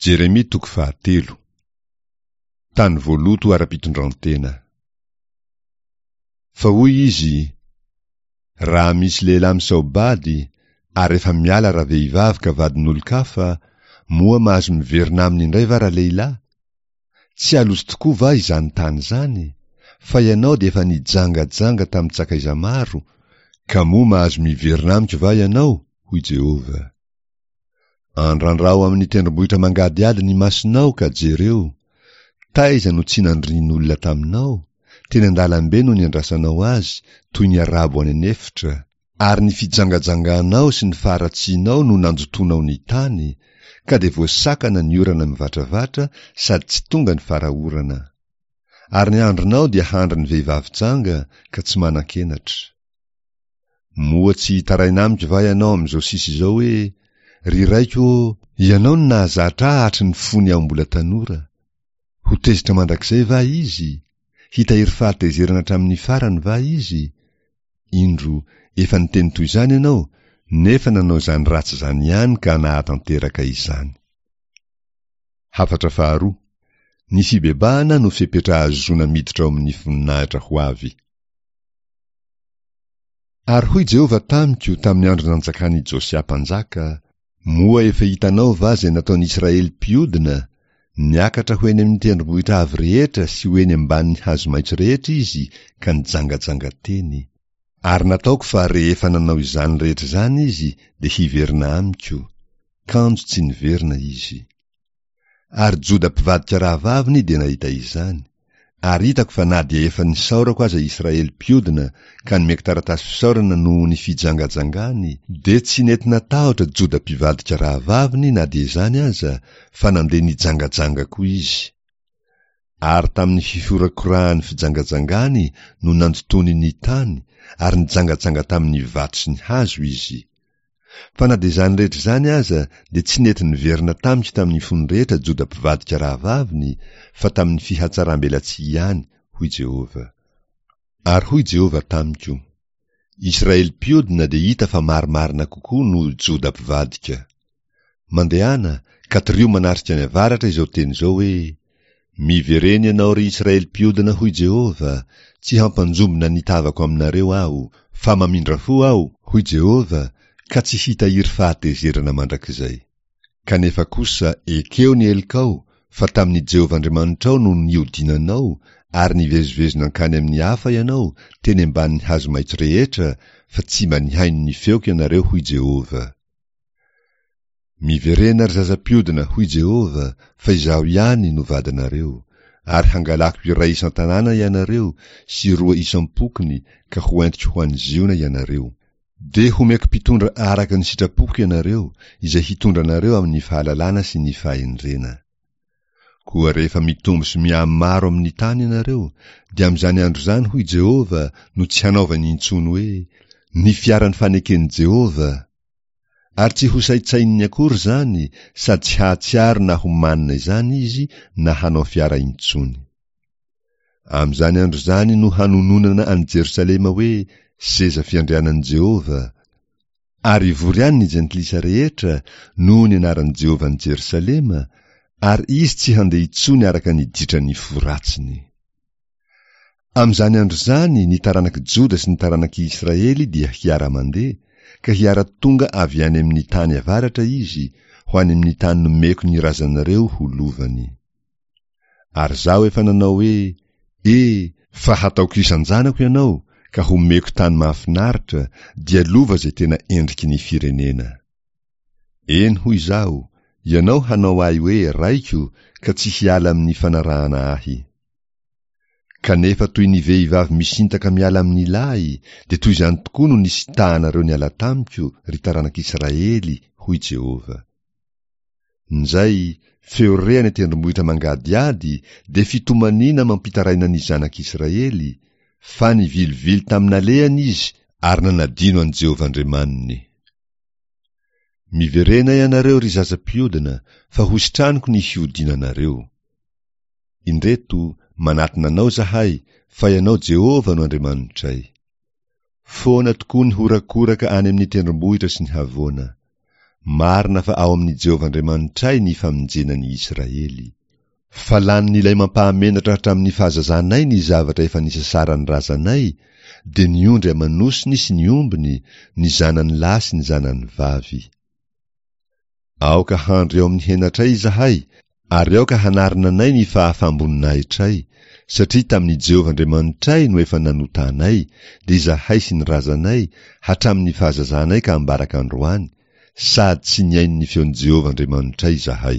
Jeremia toko fahatelo. Tany voaloto ara-pitondrantena. Fa hoy izy, Raha misy lehilahy misao-bady, ary efa miala ravehivavy ka vadin'olon-kafa, moa mahazo miverina aminy indray va ralehilahy? Tsy haloto tokoa va izany tany izany? Fa ianao dia efa nijangajanga tamin-tsakaiza maro, ka moa mahazo miverina amiko va ianao? hoy Jehovah. Andrandrao amin'ny tendrombohitra mangadihady ny masonao ka jereo. Taiza no tsy nandrian'olona taminao? Teny an-dalambe no niandrasanao azy, toy ny arabo any an'efitra. Ary ny fijangajanganao sy ny faharatsianao no nandotoanao ny tany, ka dia voasakana ny orana mivatravatra sady tsy tonga ny fara-orana. Ary ny andronao dia handrin'ny vehivavy janga ka tsy manan-kenatra. Moa tsy hitaraina amiko va ianao amin'izao sisa izao hoe, Ry raiko ô, ianao no nahazatra ahy hatry ny fony aho mbola tanora. Ho tezitra mandrakizay va izy? Hitahiry fahatezerana hatramin'ny farany va izy? Indro, efa niteny toy izany ianao, nefa nanao izany ratsy izany ihany ka nahatanteraka izany. Hafatra faharoa, Ny fibebahana no fepetra ahazoana miditra ao amin'ny voninahitra ho avy. Ary hoy Jehovah tamiko tamin'ny andro nanjakan'i Josia mpanjaka, Moa efa hitanao va izay nataon'i Israely mpiodina? Niakatra ho eny amin'ny tendrombohitra avo rehetra sy ho eny ambanin'ny hazo maitso rehetra izy ka nijangajanga teny. Ary nataoko fa rehefa nanao izany rehetra izany izy dia hiverina amiko, kanjo tsy niverina izy. Ary Joda mpivadika rahavaviny dia nahita izany, ary hitako fa na dia efa nisaorako aza Israely mpiodina ka nomeko taratasy fisaorana noho ny fijangajangany, dia tsy nety natahotra Joda mpivadika rahavaviny na dia izany aza, fa nandeha nijangajanga koa izy. Ary tamin'ny fihorakorahan'ny fijangajangany no nandotoany ny tany, ary nijangajanga tamin'ny vato sy ny hazo izy. Fa na dia izany rehetra izany aza dia tsy nety niverina tamiko tamin'ny fony rehetra Joda mpivadika rahavaviny, fa tamin'ny fihatsaram-belatsihy ihany, hoy Jehovah. Ary hoy Jehovah tamiko, Israely mpiodina dia hita fa marimarina kokoa noho Joda mpivadika. Mandehana, ka torio manatrika ny avaratra izao teny izao hoe, Miverena ianao, ry Israely mpiodina, hoy Jehovah, tsy hampanjombona ny tavako aminareo Aho, fa mamindra fo Aho, hoy Jehovah, ka tsy hitahiry fahatezerana mandrakizay. Kanefa kosa ekeo ny helokao, fa tamin'i Jehovah Andriamanitrao no niodinanao, ary nivezivezy nankany amin'ny hafa ianao, teny ambanin'ny hazo maitso rehetra, fa tsy mba nihaino ny feoko ianareo, hoy Jehovah. Miverena, ry zaza mpiodina, hoy Jehovah, fa Izaho ihany no vadinareo, ary hangalako iray isan-tanàna ianareo sy roa isam-pokony ka hoentiko ho any Ziona ianareo. Dia homeko mpitondra araka ny sitrapoko ianareo, izay hitondra anareo amin'ny fahalalana sy ny fahendrena. Koa rehefa mitombo sy mihamaro amin'ny tany ianareo, dia amin'izany andro izany, hoy Jehovah, no tsy hanaovany intsony hoe, Ny fiaran'ny faneken'i Jehovah! Ary tsy hosaintsaininy akory izany, sady tsy hahatsiaro na ho manina izany izy na hanao fiara intsony. Amin'izany andro izany no hanononana an'i Jerosalema hoe seza fiandrianan'i Jehovah, ary hivory any ny jentilisa rehetra noho ny anaran'i Jehovah an'i Jerosalema, ary izy tsy handeha intsony araka ny ditran'ny fo ratsiny. Amin'izany andro izany ny taranak'i Joda sy ny taranak'i Israely dia hiara-mandeha, ka hiara-tonga avy any amin'ny tany avaratra izy, ho any amin'ny tany nomeko ny razanareo ho lovany. Ary izaho efa nanao hoe, E, fa hataoko isan-janako ianao, ka homeko tany mahafinaritra, dia lova izay tena endriky ny firenena. Eny, hoy izaho, ianao hanao ahy hoe raiko, ka tsy hiala amin'ny fanarahana ahy. Kanefa toy ny vehivavy misintaka miala amin'ny lahy, dia toy izany tokoa no nisintahanareo niala tamiko, ry taranak'Israely, hoy Jehovah. Njay, feo re any an-tendrombohitra mangadihady dia fitomaniana mampitaraina ny zanak'Israely, fa nivilivily tamin'ny nalehany izy ary nanadino an'i Jehovah Andriamaniny. Miverena ianareo, ry zaza mpiodina, fa hositraniko ny fiodinanareo. Indreto, manatona anao izahay, fa ianao Jehovah no Andriamanitray. Foana tokoa ny horakoraka any amin'ny tendrombohitra sy ny havoana. Marina fa ao amin'i Jehovah Andriamanitray ny famonjena ny Israely. Fa lanin'ilay mampahamenatra hatramin'ny fahazazanay ny zavatra efa nisasaran'ny razanay, dia ny ondry aman'osiny sy ny ombiny, ny zanany lahy sy ny zanany vavy. Aoka handry ao amin'ny henatray izahay, ary aoka hanarina anay ny fahafaham-boninahitray, satria tamin'i Jehovah Andriamanitray no efa nanotanay, dia izahay sy ny razanay, hatramin'ny fahazazanay ka ambaraka androany, sady tsy nihaino ny feon'i Jehovah Andriamanitray izahay.